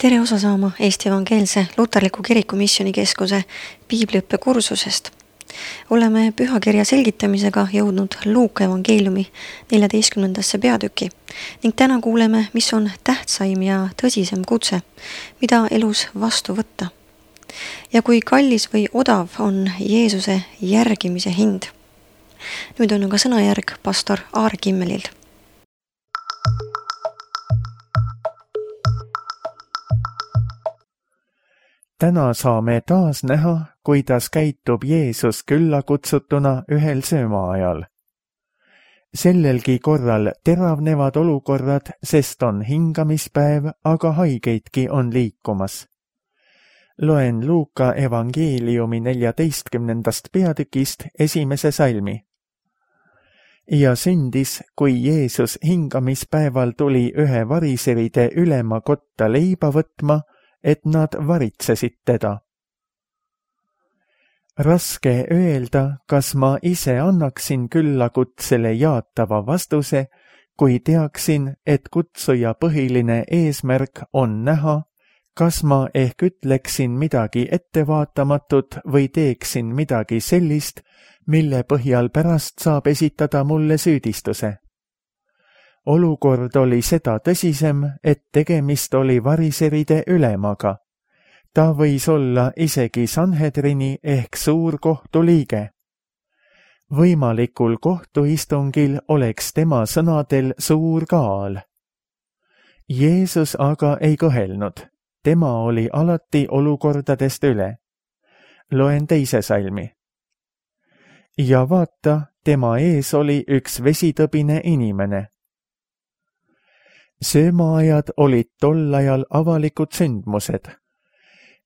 Tere osa saama Eesti Evangeelse Luterliku Kiriku Missioonikeskuse piibliõppe kursusest. Oleme pühakirja selgitamisega jõudnud Luuka evangeeliumi 14. peatüki ning täna kuuleme, mis on tähtsaim ja tõsisem kutse, mida elus vastu võtta. Ja kui kallis või odav on Jeesuse järgimise hind. Nüüd on aga sõnajärg pastor Aar Kimmelilt. Täna saame taas näha, kuidas käitub Jeesus küllakutsutuna ühel söömaajal. Sellelgi korral teravnevad olukorrad, sest on hingamispäev, aga haigeidki on liikumas. Loen Luuka evangeeliumi 14. peatükist 1. salmi. Ja sündis, kui Jeesus hingamispäeval tuli ühe variseride ülema kotta leiba võtma, et nad varitsesid teda. Raske öelda, kas ma ise annaksin küllakutsele jaatava vastuse, kui teaksin, et kutsuja põhiline eesmärk on näha, kas ma ehk ütleksin midagi ettevaatamatut või teeksin midagi sellist, mille põhjal pärast saab esitada mulle süüdistuse. Olukord oli seda tõsisem, et tegemist oli variseride ülemaga. Ta võis olla isegi Sanhedrini ehk suurkohtu liige. Võimalikul kohtuistungil oleks tema sõnadel suur kaal. Jeesus aga ei kõhelnud. Tema oli alati olukordadest üle. Loen 2. salmi. Ja vaata, tema ees oli üks vesitõbine inimene. Söömaajad olid tol ajal avalikud sündmused.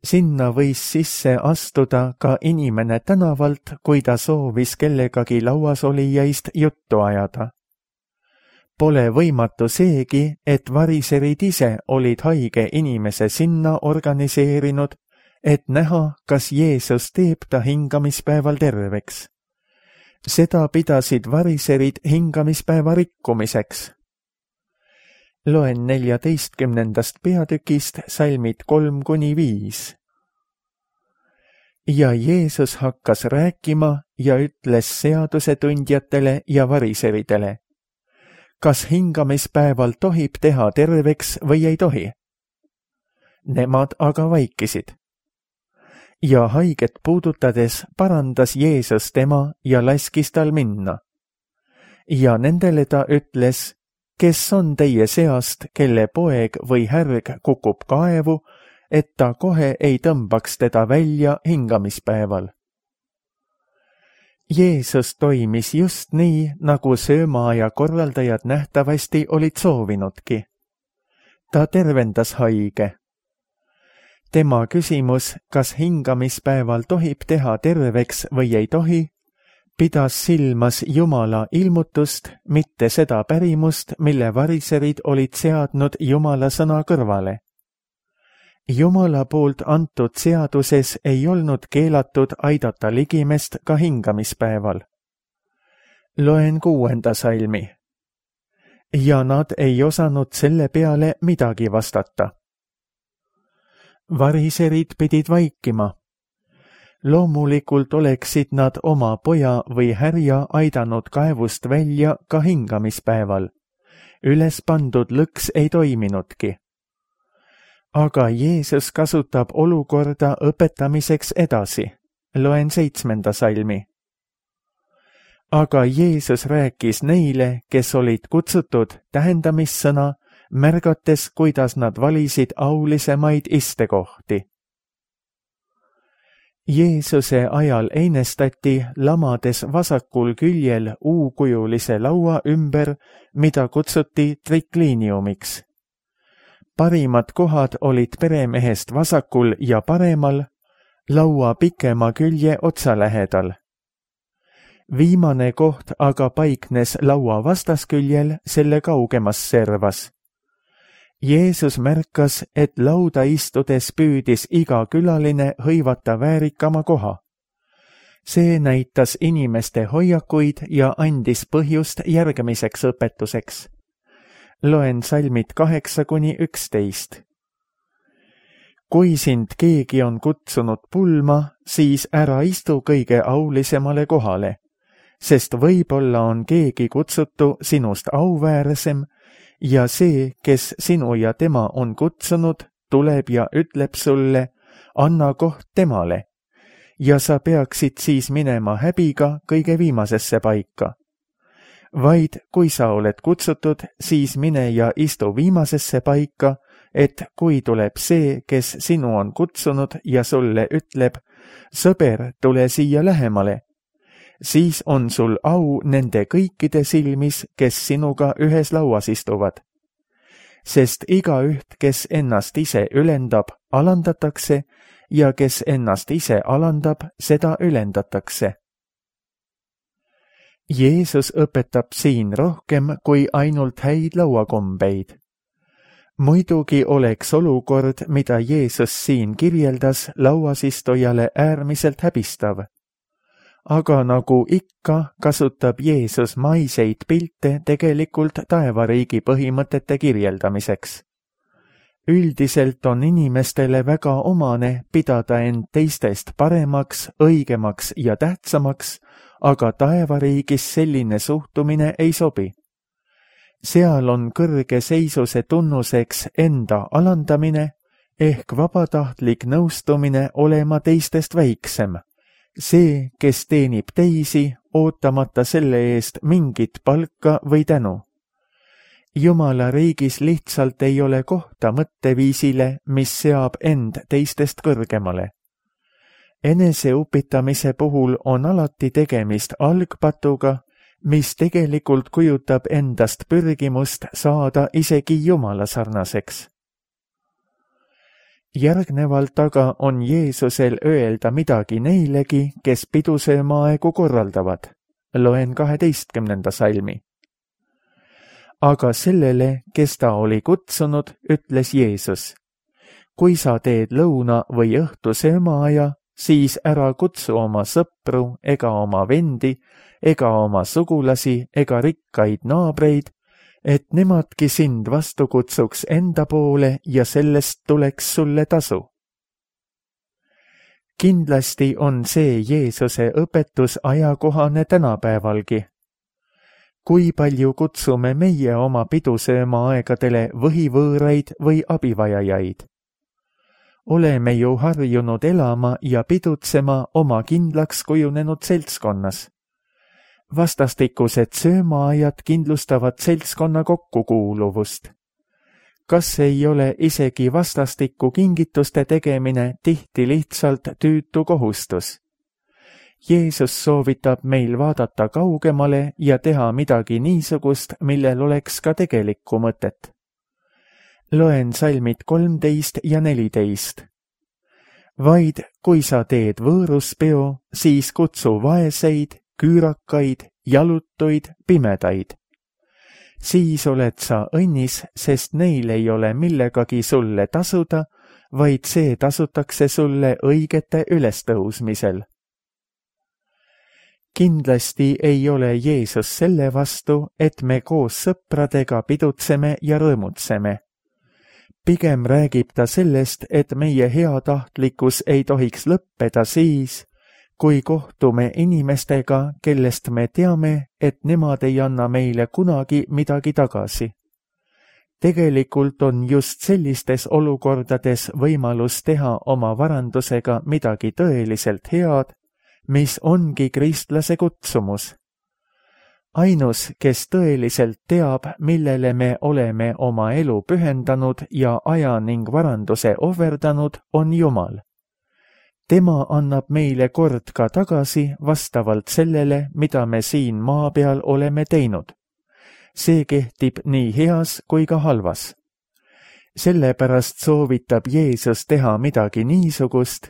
Sinna võis sisse astuda ka inimene tänavalt, kui ta soovis kellegagi lauasolijaist juttu ajada. Pole võimatu seegi, et variserid ise olid haige inimese sinna organiseerinud, et näha, kas Jeesus teeb ta hingamispäeval terveks. Seda pidasid variserid hingamispäeva rikkumiseks. Loen 14. peatükist salmid 3-5. Ja Jeesus hakkas rääkima ja ütles seadusetundjatele ja variseridele. Kas hingamispäeval tohib teha terveks või ei tohi? Nemad aga vaikisid. Ja haiget puudutades parandas Jeesus tema ja laskis tal minna. Ja nendele ta ütles, kes on teie seast, kelle poeg või härg kukub kaevu, et ta kohe ei tõmbaks teda välja hingamispäeval. Jeesus toimis just nii, nagu söömaaja korraldajad nähtavasti olid soovinudki. Ta tervendas haige. Tema küsimus, kas hingamispäeval tohib teha terveks või ei tohi, pidas silmas Jumala ilmutust, mitte seda pärimust, mille variserid olid seadnud Jumala sõna kõrvale. Jumala poolt antud seaduses ei olnud keelatud aidata ligimest ka hingamispäeval. Loen 6. salmi. Ja nad ei osanud selle peale midagi vastata. Variserid pidid vaikima. Loomulikult oleksid nad oma poja või härja aidanud kaevust välja ka hingamispäeval. Üles pandud lõks ei toiminudki. Aga Jeesus kasutab olukorda õpetamiseks edasi. Loen 7. salmi. Aga Jeesus rääkis neile, kes olid kutsutud tähendamissõna, märgates, kuidas nad valisid aulisemaid istekohti. Jeesuse ajal einestati lamades vasakul küljel U-kujulise laua ümber, mida kutsuti trikliiniumiks. Parimad kohad olid peremehest vasakul ja paremal, laua pikema külje otsa lähedal. Viimane koht aga paiknes laua vastasküljel selle kaugemas servas. Jeesus märkas, et lauda istudes püüdis iga külaline hõivata väärikama koha. See näitas inimeste hoiakuid ja andis põhjust järgmiseks õpetuseks. Loen salmid 8-11. kui sind keegi on kutsunud pulma, siis ära istu kõige aulisemale kohale, sest võib-olla on keegi kutsutu sinust auväärsem ja see, kes sinu ja tema on kutsunud, tuleb ja ütleb sulle, anna koht temale. Ja sa peaksid siis minema häbiga kõige viimasesse paika. Vaid kui sa oled kutsutud, siis mine ja istu viimasesse paika, et kui tuleb see, kes sinu on kutsunud ja sulle ütleb, sõber, tule siia lähemale, siis on sul au nende kõikide silmis, kes sinuga ühes lauas istuvad. Sest igaüht, kes ennast ise ülendab, alandatakse ja kes ennast ise alandab, seda ülendatakse. Jeesus õpetab siin rohkem kui ainult häid lauakombeid. Muidugi oleks olukord, mida Jeesus siin kirjeldas, lauasistujale äärmiselt häbistav. Aga nagu ikka, kasutab Jeesus maiseid pilte tegelikult taevariigi põhimõtete kirjeldamiseks. Üldiselt on inimestele väga omane pidada end teistest paremaks, õigemaks ja tähtsamaks, aga taevariigis selline suhtumine ei sobi. Seal on kõrge seisuse tunnuseks enda alandamine ehk vabatahtlik nõustumine olema teistest väiksem. See, kes teenib teisi, ootamata selle eest mingit palka või tänu. Jumala riigis lihtsalt ei ole kohta mõtteviisile, mis seab end teistest kõrgemale. Eneseupitamise puhul on alati tegemist algpatuga, mis tegelikult kujutab endast pürgimust saada isegi Jumala sarnaseks. Järgnevalt aga on Jeesusel öelda midagi neilegi, kes pidusöömaaegu korraldavad. Loen 12. salmi. Aga sellele, kes ta oli kutsunud, ütles Jeesus, kui sa teed lõuna- või õhtusöömaaja, siis ära kutsu oma sõpru ega oma vendi ega oma sugulasi ega rikkaid naabreid, et nemadki sind vastu kutsuks enda poole ja sellest tuleks sulle tasu. Kindlasti on see Jeesuse õpetus ajakohane tänapäevalgi. Kui palju kutsume meie oma pidusöömaaegadele võhivõõraid või abivajajaid? Oleme ju harjunud elama ja pidutsema oma kindlaks kujunenud seltskonnas. Vastastikused söömaajad kindlustavad seltskonna kokkukuuluvust. Kas ei ole isegi vastastikku kingituste tegemine tihti lihtsalt tüütu kohustus? Jeesus soovitab meil vaadata kaugemale ja teha midagi niisugust, millel oleks ka tegelikku mõtet. Loen salmid 13 ja 14. Vaid kui sa teed võõruspeo, siis kutsu vaeseid, küürakaid, jalutuid, pimedaid. Siis oled sa õnnis, sest neil ei ole millegagi sulle tasuda, vaid see tasutakse sulle õigete ülestõusmisel. Kindlasti ei ole Jeesus selle vastu, et me koos sõpradega pidutseme ja rõõmutseme. Pigem räägib ta sellest, et meie heatahtlikkus ei tohiks lõppeda siis, kui kohtume inimestega, kellest me teame, et nemad ei anna meile kunagi midagi tagasi. Tegelikult on just sellistes olukordades võimalus teha oma varandusega midagi tõeliselt head, mis ongi kristlase kutsumus. Ainus, kes tõeliselt teab, millele me oleme oma elu pühendanud ja aja ning varanduse ohverdanud, on Jumal. Tema annab meile kord ka tagasi vastavalt sellele, mida me siin maa peal oleme teinud. See kehtib nii heas kui ka halvas. Sellepärast soovitab Jeesus teha midagi niisugust,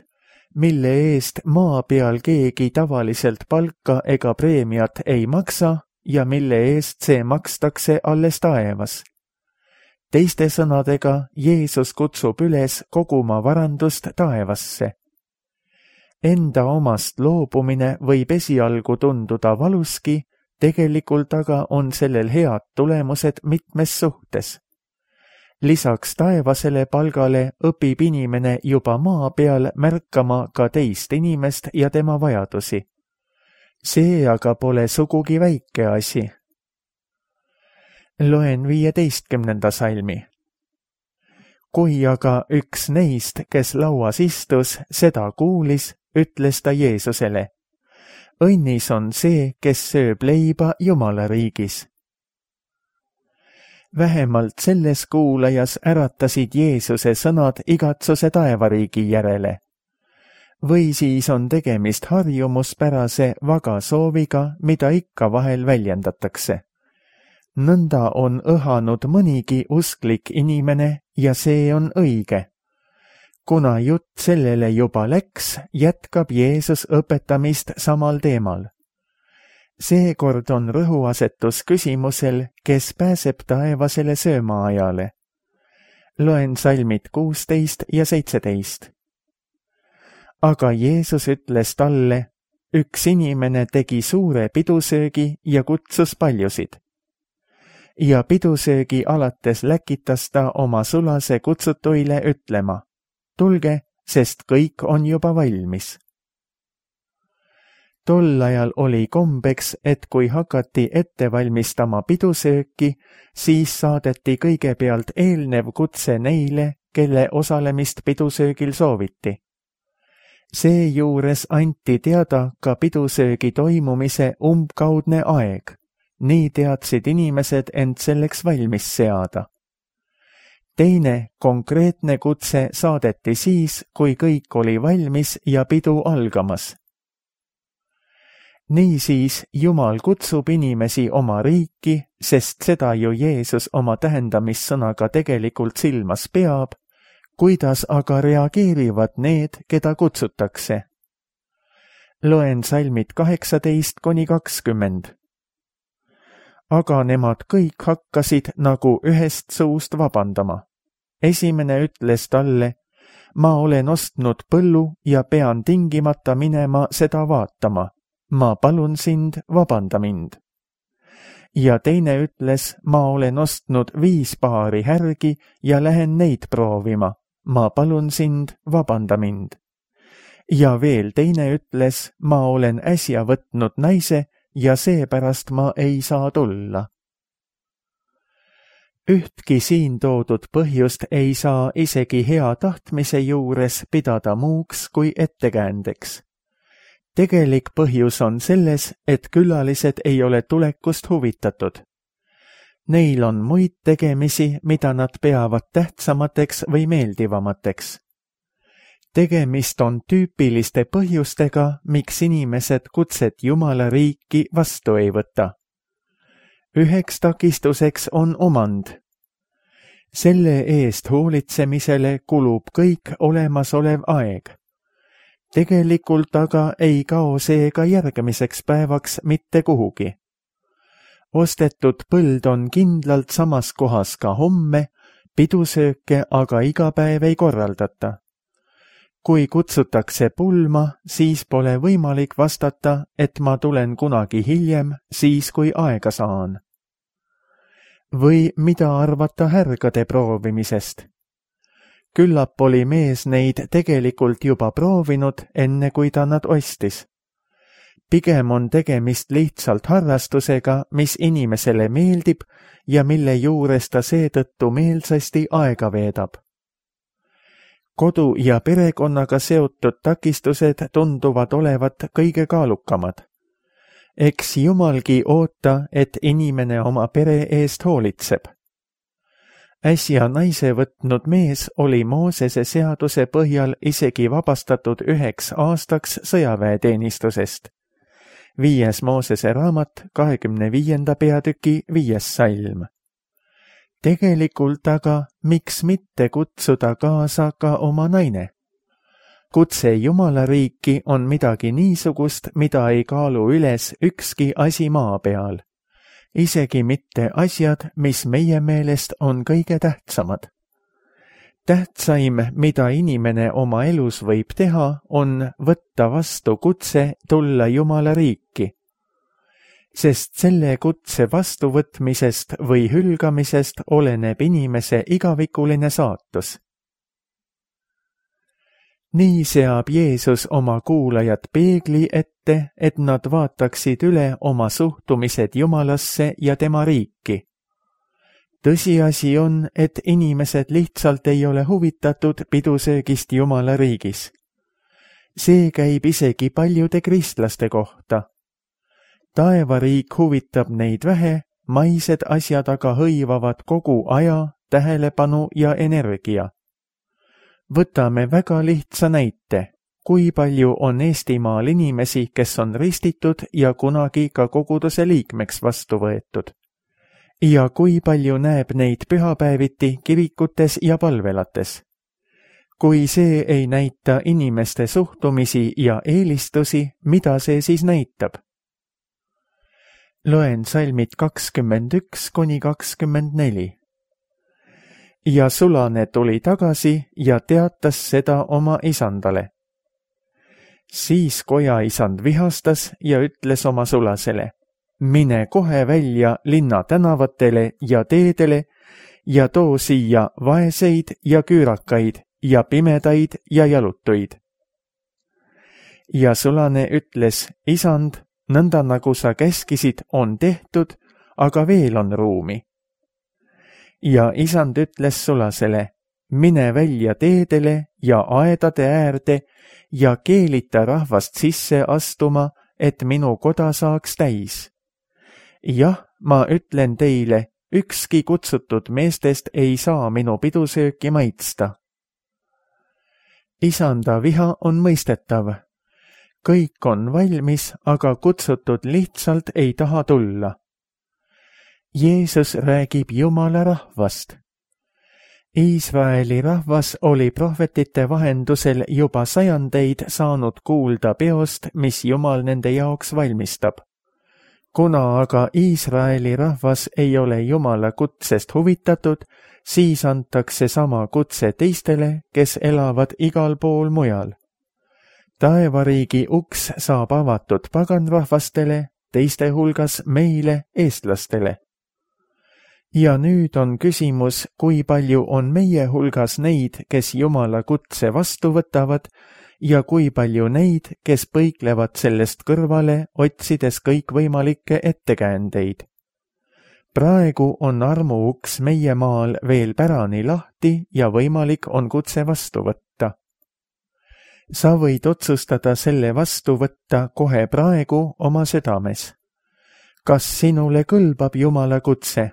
mille eest maa peal keegi tavaliselt palka ega preemiat ei maksa ja mille eest see makstakse alles taevas. Teiste sõnadega, Jeesus kutsub üles koguma varandust taevasse. Enda omast loobumine võib esialgu tunduda valuski, tegelikult aga on sellel head tulemused mitmes suhtes. lisaks taevasele palgale õpib inimene juba maa peal märkama ka teist inimest ja tema vajadusi. See aga pole sugugi väike asi. Loen 15. salmi. Kui aga üks neist, kes lauas istus, seda kuulis, ütles ta Jeesusele: õnnis on see, kes sööb leiba Jumala riigis. Vähemalt selles kuulajas äratasid Jeesuse sõnad igatsuse taevariigi järele. Või siis on tegemist harjumuspärase vaga sooviga, mida ikka vahel väljendatakse. Nõnda on õhanud mõnigi usklik inimene ja see on õige. Kuna jutt sellele juba läks, jätkab Jeesus õpetamist samal teemal. Seekord on rõhuasetus küsimusel, kes pääseb taevasele söömaajale. Loen salmid 16 ja 17. Aga Jeesus ütles talle: üks inimene tegi suure pidusöögi ja kutsus paljusid. Ja pidusöögi alates läkitas ta oma sulase kutsutuile ütlema: tulge, sest kõik on juba valmis. Tol ajal oli kombeks, et kui hakati ette valmistama pidusööki, siis saadeti kõigepealt eelnev kutse neile, kelle osalemist pidusöögil sooviti. Seejuures anti teada ka pidusöögi toimumise umbkaudne aeg. Nii teadsid inimesed end selleks valmis seada. Teine konkreetne kutse saadeti siis, kui kõik oli valmis ja pidu algamas. Niisiis Jumal kutsub inimesi oma riiki, sest seda ju Jeesus oma tähendamissõnaga tegelikult silmas peab, kuidas aga reageerivad need, keda kutsutakse. Loen salmid 18–20. Aga nemad kõik hakkasid nagu ühest suust vabandama. Esimene ütles talle: ma olen ostnud põllu ja pean tingimata minema seda vaatama. Ma palun sind, vabanda mind. Ja teine ütles: ma olen ostnud 5 paari härgi ja lähen neid proovima. Ma palun sind, vabanda mind. Ja veel teine ütles: ma olen äsja võtnud naise ja seepärast ma ei saa tulla. Ühtki siin toodud põhjust ei saa isegi hea tahtmise juures pidada muuks kui ettekäändeks. Tegelik põhjus on selles, et külalised ei ole tulekust huvitatud. Neil on muid tegemisi, mida nad peavad tähtsamateks või meeldivamateks. Tegemist on tüüpiliste põhjustega, miks inimesed kutset Jumala riiki vastu ei võta. Üheks takistuseks on omand. Selle eest hoolitsemisele kulub kõik olemasolev aeg. Tegelikult aga ei kao see ka järgmiseks päevaks mitte kuhugi. Ostetud põld on kindlalt samas kohas ka homme, pidusööke aga iga päev ei korraldata. Kui kutsutakse pulma, siis pole võimalik vastata, et ma tulen kunagi hiljem, siis kui aega saan. Või mida arvata härgade proovimisest? Küllap oli mees neid tegelikult juba proovinud, enne kui ta nad ostis. Pigem on tegemist lihtsalt harrastusega, mis inimesele meeldib ja mille juures ta seetõttu meelsasti aega veedab. Kodu ja perekonnaga seotud takistused tunduvad olevat kõige kaalukamad. Eks Jumalgi oota, et inimene oma pere eest hoolitseb. Äsja naise võtnud mees oli Moosese seaduse põhjal isegi vabastatud 1 aastaks sõjaväeteenistusest. 5. Moosese raamat 25. peatüki 5. salm. Tegelikult aga miks mitte kutsuda kaasa ka oma naine? Kutse Jumala riiki on midagi niisugust, mida ei kaalu üles ükski asi maa peal. Isegi mitte asjad, mis meie meelest on kõige tähtsamad. Tähtsaim, mida inimene oma elus võib teha, on võtta vastu kutse tulla Jumala riiki. sest selle kutse vastuvõtmisest või hülgamisest oleneb inimese igavikuline saatus. Nii seab Jeesus oma kuulajad peegli ette, et nad vaataksid üle oma suhtumised Jumalasse ja tema riiki. Tõsiasi on, et inimesed lihtsalt ei ole huvitatud pidusöögist Jumala riigis. See käib isegi paljude kristlaste kohta. Taevariik huvitab neid vähe, maised asjad aga hõivavad kogu aja, tähelepanu ja energia. Võtame väga lihtsa näite, kui palju on Eestimaal inimesi, kes on ristitud ja kunagi ka koguduse liikmeks vastu võetud. Ja kui palju näeb neid pühapäeviti kirikutes ja palvelates. Kui see ei näita inimeste suhtumisi ja eelistusi, mida see siis näitab? Loen salmid 21–24. Ja sulane tuli tagasi ja teatas seda oma isandale. Siis kojaisand vihastas ja ütles oma sulasele, mine kohe välja linna tänavatele ja teedele ja too siia vaeseid ja küürakaid ja pimedaid ja jalutuid. Ja sulane ütles, isand, nõnda nagu sa käskisid, on tehtud, aga veel on ruumi. Ja isand ütles sulasele, mine välja teedele ja aedade äärde ja keelita rahvast sisse astuma, et minu koda saaks täis. Jah, ma ütlen teile, ükski kutsutud meestest ei saa minu pidusööki maitsta. Isanda viha on mõistetav. Kõik on valmis, aga kutsutud lihtsalt ei taha tulla. Jeesus räägib Jumala rahvast. Iisraeli rahvas oli prohvetite vahendusel juba sajandeid saanud kuulda peost, mis Jumal nende jaoks valmistab. Kuna aga Iisraeli rahvas ei ole Jumala kutsest huvitatud, siis antakse sama kutse teistele, kes elavad igal pool mujal. Taevariigi uks saab avatud paganrahvastele, teiste hulgas meile, eestlastele. Ja nüüd on küsimus, kui palju on meie hulgas neid, kes Jumala kutse vastu võtavad, ja kui palju neid, kes põiklevad sellest kõrvale, otsides kõikvõimalikke ettekäändeid. Praegu on armuuks meie maal veel pärani lahti ja võimalik on kutse vastu võtta. Sa võid otsustada selle vastu võtta kohe praegu oma südames. Kas sinule kõlbab Jumala kutse?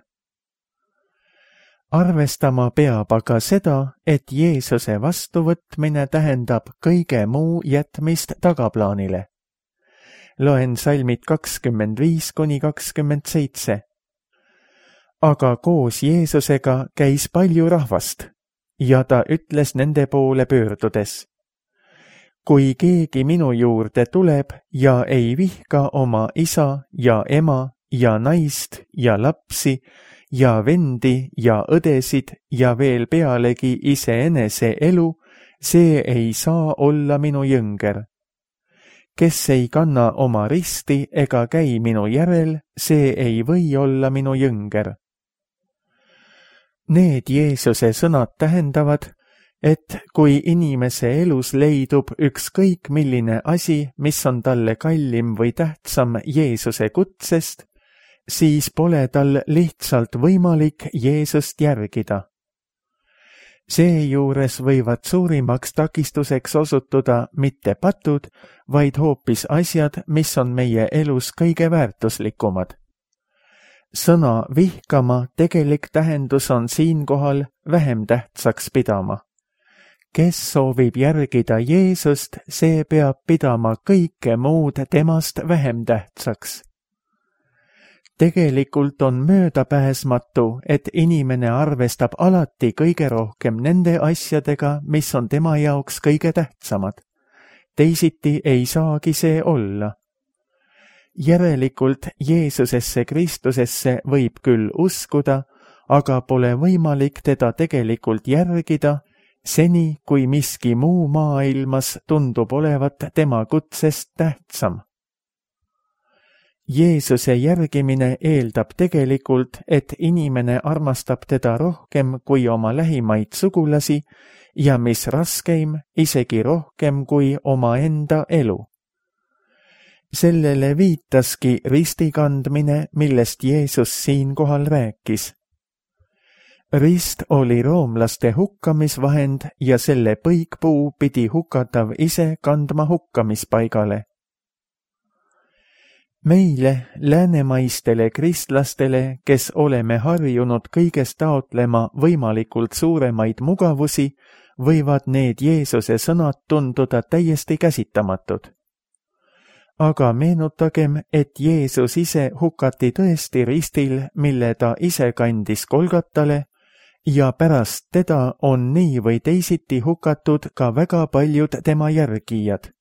Arvestama peab aga seda, et Jeesuse vastuvõtmine tähendab kõige muu jätmist tagaplaanile. Loen salmid 25–27. Aga koos Jeesusega käis palju rahvast ja ta ütles nende poole pöördudes. Kui keegi minu juurde tuleb ja ei vihka oma isa ja ema ja naist ja lapsi ja vendi ja õdesid ja veel pealegi iseenese elu, see ei saa olla minu jünger. Kes ei kanna oma risti ega käi minu järel, see ei või olla minu jünger. Need Jeesuse sõnad tähendavad, et kui inimese elus leidub ükskõik milline asi, mis on talle kallim või tähtsam Jeesuse kutsest, siis pole tal lihtsalt võimalik Jeesust järgida. Seejuures võivad suurimaks takistuseks osutuda mitte patud, vaid hoopis asjad, mis on meie elus kõige väärtuslikumad. Sõna vihkama tegelik tähendus on siinkohal vähem tähtsaks pidama. Kes soovib järgida Jeesust, see peab pidama kõike muud temast vähem tähtsaks. Tegelikult on möödapääsmatu, et inimene arvestab alati kõige rohkem nende asjadega, mis on tema jaoks kõige tähtsamad. Teisiti ei saagi see olla. Järelikult Jeesusesse Kristusesse võib küll uskuda, aga pole võimalik teda tegelikult järgida, seni kui miski muu maailmas tundub olevat tema kutsest tähtsam. Jeesuse järgimine eeldab tegelikult, et inimene armastab teda rohkem kui oma lähimaid sugulasi ja mis raskeim, isegi rohkem kui omaenda elu. Sellele viitaski ristikandmine, millest Jeesus siinkohal rääkis. Rist oli roomlaste hukkamisvahend ja selle põikpuu pidi hukatav ise kandma hukkamispaigale. Meile, läänemaistele kristlastele, kes oleme harjunud kõigest taotlema võimalikult suuremaid mugavusi, võivad need Jeesuse sõnad tunduda täiesti käsitamatud. Aga meenutagem, et Jeesus ise hukati tõesti ristil, mille ta ise kandis Golgatale, ja pärast teda on nii või teisiti hukatud ka väga paljud tema järgijad.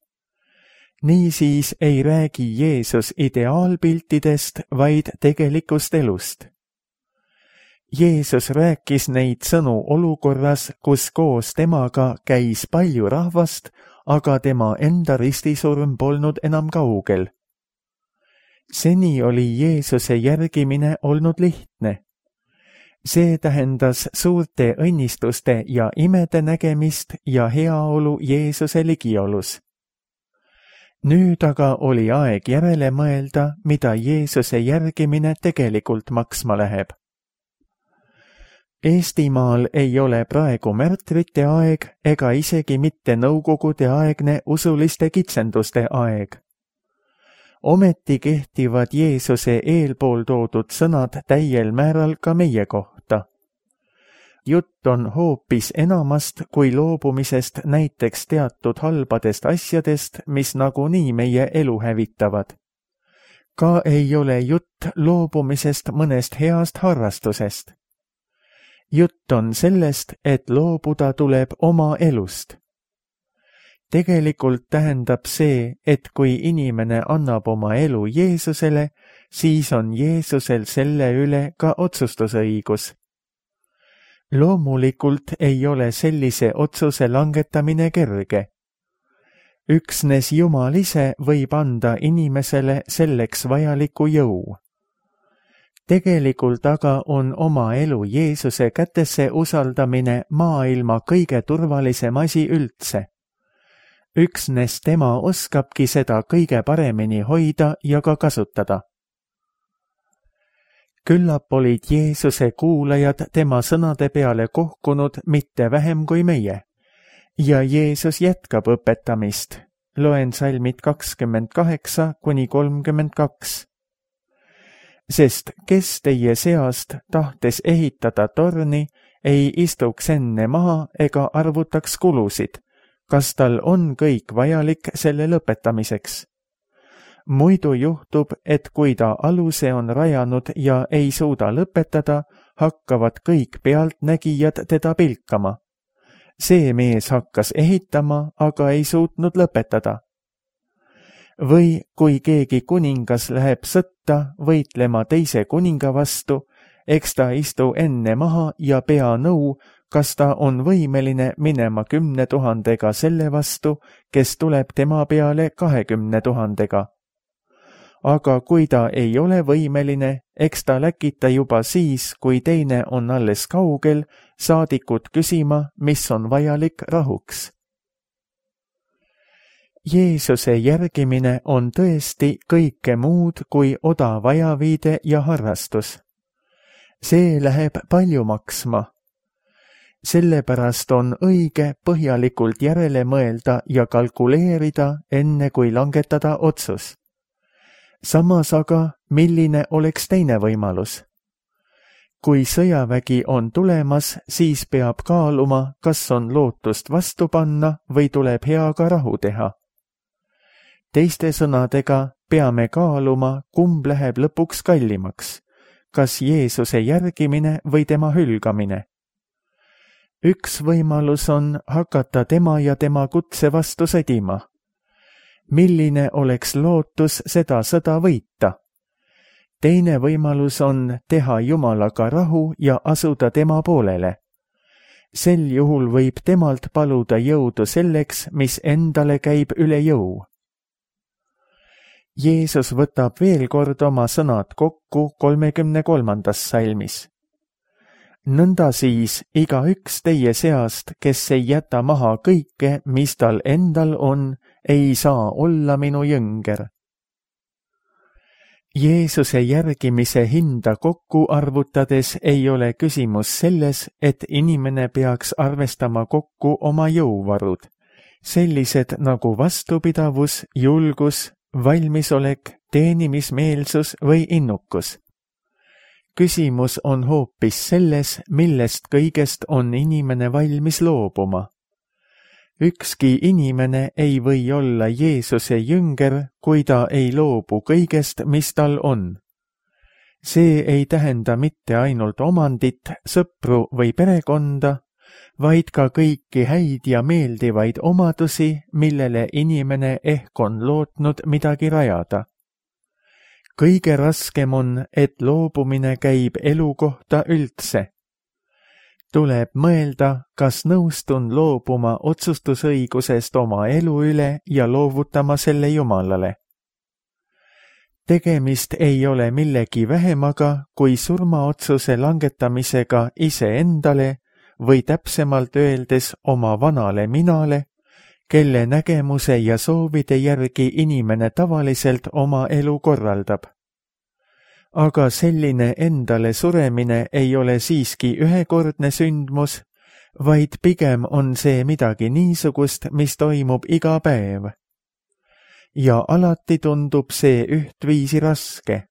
Niisiis ei räägi Jeesus ideaalpiltidest, vaid tegelikust elust. Jeesus rääkis neid sõnu olukorras, kus koos temaga käis palju rahvast, aga tema enda ristisurm polnud enam kaugel. Seni oli Jeesuse järgimine olnud lihtne. See tähendas suurte õnnistuste ja imede nägemist ja heaolu Jeesuse ligiolus. Nüüd aga oli aeg järele mõelda, mida Jeesuse järgimine tegelikult maksma läheb. Eestimaal ei ole praegu märtrite aeg ega isegi mitte nõukogudeaegne usuliste kitsenduste aeg. Ometi kehtivad Jeesuse eelpool toodud sõnad täiel määral ka meie kohta. Jutt on hoopis enamast kui loobumisest näiteks teatud halbadest asjadest, mis nagunii meie elu hävitavad. Ka ei ole jutt loobumisest mõnest heast harrastusest. Jutt on sellest, et loobuda tuleb oma elust. Tegelikult tähendab see, et kui inimene annab oma elu Jeesusele, siis on Jeesusel selle üle ka otsustusõigus. Loomulikult ei ole sellise otsuse langetamine kerge. Üksnes Jumal ise võib anda inimesele selleks vajaliku jõu. Tegelikult aga on oma elu Jeesuse kätesse usaldamine maailma kõige turvalisem asi üldse. Üksnes tema oskabki seda kõige paremini hoida ja ka kasutada. Küllap olid Jeesuse kuulajad tema sõnade peale kohkunud mitte vähem kui meie. Ja Jeesus jätkab õpetamist. Loen salmid 28–32. Sest kes teie seast, tahtes ehitada torni, ei istuks enne maha ega arvutaks kulusid, kas tal on kõik vajalik selle lõpetamiseks. Muidu juhtub, et kui ta aluse on rajanud ja ei suuda lõpetada, hakkavad kõik pealtnägijad teda pilkama. See mees hakkas ehitama, aga ei suutnud lõpetada. Või kui keegi kuningas läheb sõtta võitlema teise kuninga vastu, eks ta istu enne maha ja pea nõu, kas ta on võimeline minema 10 000 selle vastu, kes tuleb tema peale 20 000. Aga kui ta ei ole võimeline, eks ta läkita juba siis, kui teine on alles kaugel, saadikut küsima, mis on vajalik rahuks. Jeesuse järgimine on tõesti kõike muud kui odav ajaviide ja harrastus. See läheb palju maksma. Sellepärast on õige põhjalikult järele mõelda ja kalkuleerida, enne kui langetada otsus. Samas aga, milline oleks teine võimalus? Kui sõjavägi on tulemas, siis peab kaaluma, kas on lootust vastu panna või tuleb heaga rahu teha. Teiste sõnadega peame kaaluma, kumb läheb lõpuks kallimaks, kas Jeesuse järgimine või tema hülgamine. Üks võimalus on hakata tema ja tema kutse vastu sõdima. Milline oleks lootus seda sõda võita? Teine võimalus on teha Jumalaga rahu ja asuda tema poolele. Sel juhul võib temalt paluda jõudu selleks, mis endale käib üle jõu. Jeesus võtab veel kord oma sõnad kokku 33. salmis. Nõnda siis igaüks teie seast, kes ei jäta maha kõike, mis tal endal on, ei saa olla minu jünger. Jeesuse järgimise hinda kokku arvutades ei ole küsimus selles, et inimene peaks arvestama kokku oma jõuvarud, sellised nagu vastupidavus, julgus, valmisolek, teenimismeelsus või innukus. Küsimus on hoopis selles, millest kõigest on inimene valmis loobuma. Ükski inimene ei või olla Jeesuse jünger, kui ta ei loobu kõigest, mis tal on. See ei tähenda mitte ainult omandit, sõpru või perekonda, vaid ka kõiki häid ja meeldivaid omadusi, millele inimene ehk on lootnud midagi rajada. Kõige raskem on, et loobumine käib elu kohta üldse. Tuleb mõelda, kas nõustun loobuma otsustusõigusest oma elu üle ja loovutama selle Jumalale. Tegemist ei ole millegi vähemaga kui surmaotsuse langetamisega iseendale või täpsemalt öeldes oma vanale minale, kelle nägemuse ja soovide järgi inimene tavaliselt oma elu korraldab. Aga selline endale suremine ei ole siiski ühekordne sündmus, vaid pigem on see midagi niisugust, mis toimub iga päev. Ja alati tundub see ühtviisi raske.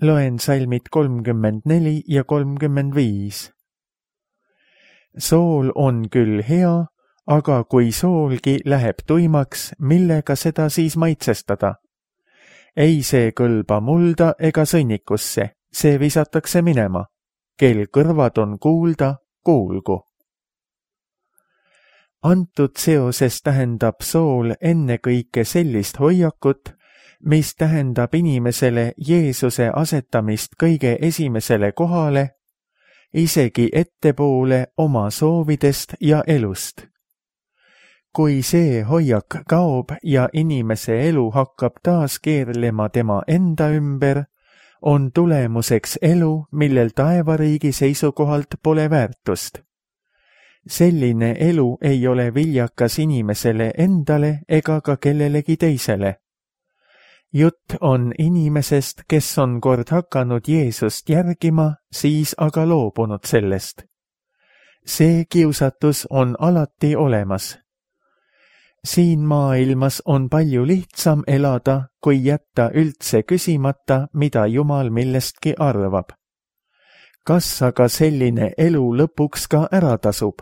Loen salmid 34 ja 35. Sool on küll hea, aga kui soolgi läheb tuimaks, millega seda siis maitsestada? Ei see kõlba mulda ega sõnnikusse, see visatakse minema. Kel kõrvad on kuulda, kuulgu. Antud seoses tähendab sool ennekõike sellist hoiakut, mis tähendab inimesele Jeesuse asetamist kõige esimesele kohale, isegi ettepoole oma soovidest ja elust. Kui see hoiak kaob ja inimese elu hakkab taas keerlema tema enda ümber, on tulemuseks elu, millel taevariigi seisukohalt pole väärtust. Selline elu ei ole viljakas inimesele endale ega ka kellelegi teisele. Jutt on inimesest, kes on kord hakanud Jeesust järgima, siis aga loobunud sellest. See kiusatus on alati olemas. Siin maailmas on palju lihtsam elada, kui jätta üldse küsimata, mida Jumal millestki arvab. Kas aga selline elu lõpuks ka ära tasub?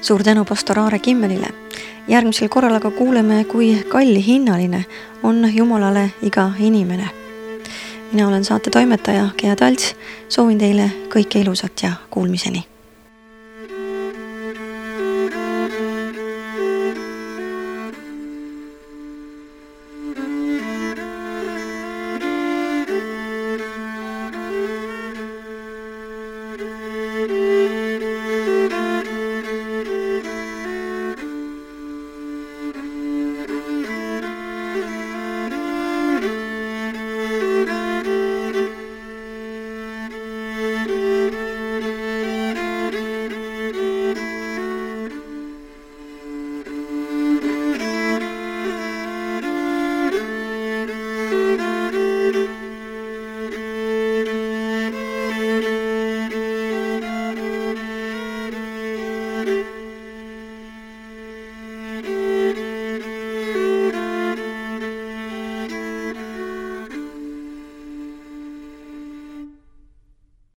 Suur tänu pastor Aare Kimmelile. Järgmisel korral aga kuuleme, kui kallihinnaline on Jumalale iga inimene. Mina olen saate toimetaja Gea Talts, soovin teile kõike ilusat ja kuulmiseni.